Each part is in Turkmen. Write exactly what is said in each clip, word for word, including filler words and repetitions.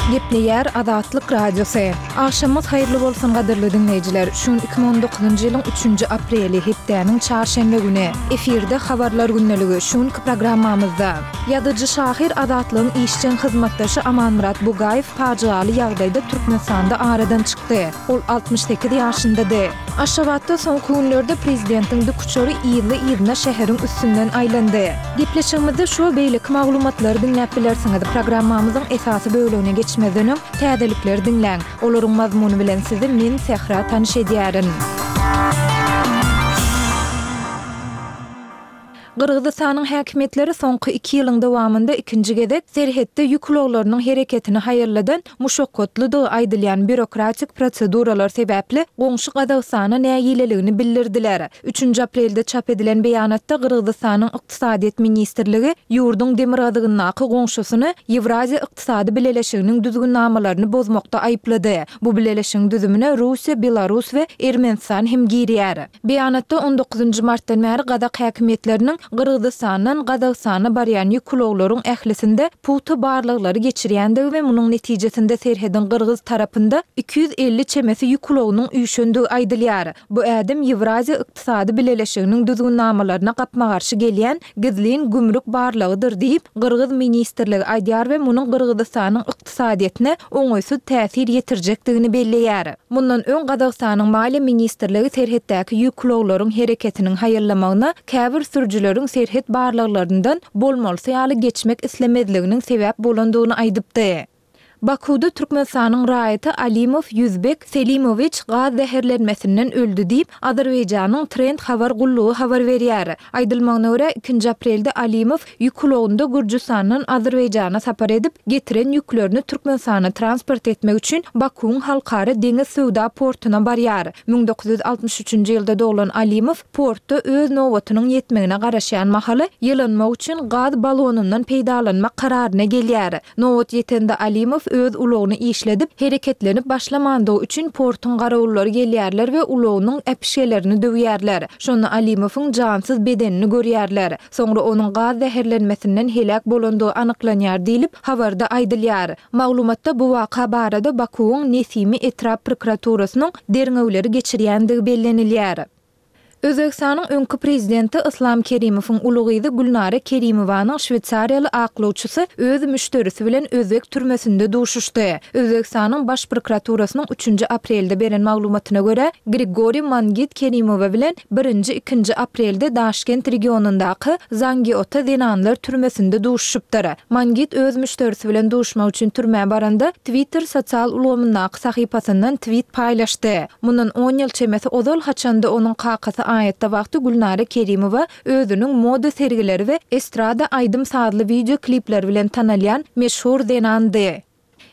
Gepleýär Azatlyk Radiosy. Agşamyňyz haýyrly bolsun gadyrly diňleýjiler. Şu gün iki müň on dokuzynjy ýylyň üçünji apreli, hepdäniň çarşenbe güni. Efirde Habarlar gündeligi. Şu günki programmamyzda. Ýazyjy-şahyr Azatlygyň işjeň hyzmatdaşy Amanmyrat Bugaýew pajygaly ýagdaýda Türkmenistanda aradan çykdy. Ol altmyş sekiz ýaşyndady. Aşgabatda soňky günlerde prezidentiň dikuçary yzly-yzyna şäheriň üstünden aýlandy. Gepleşigimizde şu we beýleki maglumatlary diňläp bilersiňiz. Programmamyzyň esasy bölegine geçmezden öň, täzelikleri diňläň. Olaryň mazmuny bilen sizi men, Sähra, tanyş edýärin. Gyrgyzystanyň häkimiýetleri soňky iki ýylyň dowamynda ikinji gezek serhetde ýük ulaglarynyň hereketini haýalladan muşakgatlydygy aýdylýan býurokratik proseduralar sebäpli goňşy Gazagystana nägileligini bildirdiler. Üçünji aprelde çap edilen beýanatda Gyrgyzystanyň Ykdysadyýet ministrligi ýurduň demirgazygyndaky goňşusyny Ýewraziýa ykdysady bileleşiginiň düzgünnamalaryny bozmakda aýyplady. Bu bileleşigiň düzümine Russiýa, Belarus we Ermenistan hem girýär. Beýanatda on dokuzynjy martdan bäri gazak häkimiýetleriniň Gyrgyzystandan Gazagystana barýan ýük ulaglaryň ählisinde pugta barlaglary geçirýändigi we munuň netijesinde serhediň gyrgyz tarapynda iki ýüz elli çemesi ýük ulagynyň üýşendigi aýdylýar. Bu ädim Ýewraziýa ykdysady bileleşiginiň düzgünnamalaryna gapma-garşy gelýän gizlin gümrük barlagydyr diýip, gyrgyz ministrligi aýdýar we munuň Gyrgyzystanyň ykdysadyýetine oňaýsyz täsir ýetirjekdigini belleýär. Mundan öň Gazagystanyň Maliýe ministrligi serhetdäki ýük ulaglaryň hereketiniň haýallamagyna käbir sürüjileriň serhet barlaglaryndan bolmalysy ýaly geçmek islemezliginiň sebäp bolandygyny aýdypdy. Bakuwda Türkmenistanyň raýaty Alimow Ýüzbek Selimowiç gaz zäherlenmesinden öldi diýip, Azerbaýjanyň Trend habar gullugy habar berýär. Aýdylmagyna görä, ikinji aprelde Alimow ýük ulagynda Gürjüstandan Azerbaýjana sapar edip, getiren ýüklerini Türkmenistana transport etmek üçin Bakuwyň halkara deňiz söwda portuna barýar. Müň dokuz ýüz altmyş üçünji ýylda doglan Alimow portda öz nobatynyň ýetmegine garaşýan mahaly ýylanmak üçin gaz balonyndan peýdalanmak kararyna gelýär. Nobat ýetende Alimow öz ulagyny işledip, hereketlenip başlamandygy üçin portuň garawullary gelýärler we ulagynyň äpişgelerini döwýärler. Şonda Alimowyň jansyz bedenini görýärler. Soňra onuň gaz zäherlenmesinden heläk bolandygy anyklanýar diýlip, habarda aýdylýar. Maglumatda bu waka barada Bakuwyň Nesimi etrap prokuraturasynyň derňewleri geçirýändigi bellenilýär. Özbegistanyň öňki prezidenti Yslam Kerimowyň uly gyzy Gülnara Kerimowanyň şweýsariýaly aklawçysy öz müşderisi bilen özbek türmesinde duşuşdy. Özbegistanyň Baş prokuraturasynyň üçünji aprelde beren maglumatyna görä, Grigoriý Mangit Kerimowa bilen birinji-ikinji aprelde Daşkent regionyndaky Zangiota zenanlar türmesinde duşuşypdyr. Mangit öz müşderisi bilen duşmak üçin türmä baranda, Twitter sosial ulgamyndaky sahypasyndan twit paýlaşdy. Mundan on ýyl çemesi ozal, haçanda onuň kakasy aýatda wagty Gülnara Kerimowa özüniň moda sergileri we estrada aýdym-sazly wideo klipleri bilen tanalýan meşhur zenandy.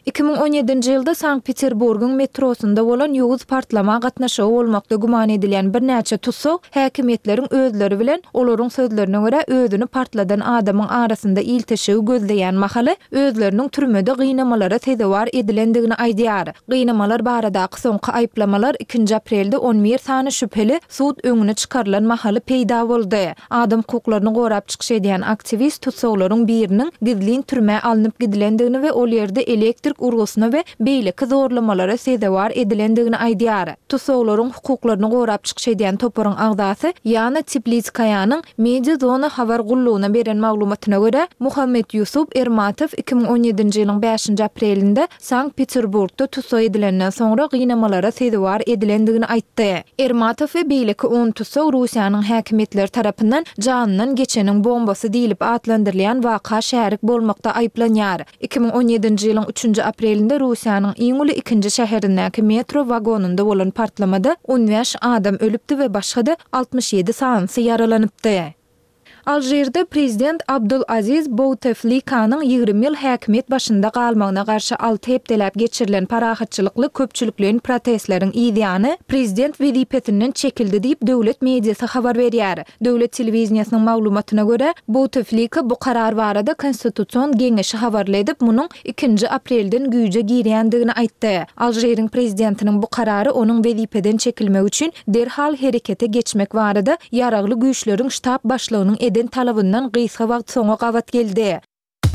Iki müň on ýedinji ýylda Sankt-Peterburgyň metrosynda bolan ýowuz partlama gatnaşygy bolmakda güman edilýän birnäçe tussag häkimiýetleriň özleri bilen, olaryň sözlerine görä, özüni partladan adamyň arasynda ilteşigi gözleýän mahaly özleriniň türmede gynamalara sezewar edilendigini aýdýar. Gynamalar baradaky soňky aýyplamalar ikinji aprelde on bir sany şübheli sud öňüne çykarylan mahaly peýda boldy. Adam hukuklaryny gorap çykyş edýän aktiwist tussaglaryň biriniň gizlin türmä alnyp gidilendigini we ol ýerde elektrik urgusyna we beýleki zorlamalara sezewar edilendigini aýdýar. Tussaglaryň hukuklaryny gorap çykyş edýän toparyň agzasy Ýana Teplitskaýanyň Mediazona habar gullugyna beren maglumatyna görä, Muhammetýusup Ermatow iki müň on ýedinji ýylyň bäşinji aprelinde Sankt-Peterburgda tussag edilenden soňra gynamalara sezewar edilendigini aýtdy. Ermatow we beýleki on tussag Russiýanyň häkimiýetleri tarapyndan janyndan geçeniň bombasy diýlip atlandyrylýan waka şärik bolmakda aýyplanýar. Iki müň on ýedinji ýylyň üçünji aprelinde Russiýanyň iň uly ikinji şäherindäki metro wagonynda bolan partlamada on bäş adam ölüpdi we başga-da altmyş ýedi sanysy ýaralanypdy. Alžirde prezident Abdul-Aziz Bouteflikanyň ýigrimi ýyl häkimiýet başynda galmagyna garşy alty hepdeläp geçirilen parahatçylykly köpçülikleýin protestleriň yzýany prezident wezipesinden çekildi diýip, döwlet mediasy habar berýär. Döwlet telewideniýesiniň maglumatyna görä, Bouteflika bu karar barada Konstitusion geňeşi habarly edip, munuň ikinji aprelden güýje girýändigini aýtdy. Alžiriň prezidentiniň bu karary onuň wezipeden çekilmegi üçin derhal herekete geçmek barada Ýaragly Güýçleriň ştab başlygynyň eden talabyndan gysga wagt soňa gabat geldi.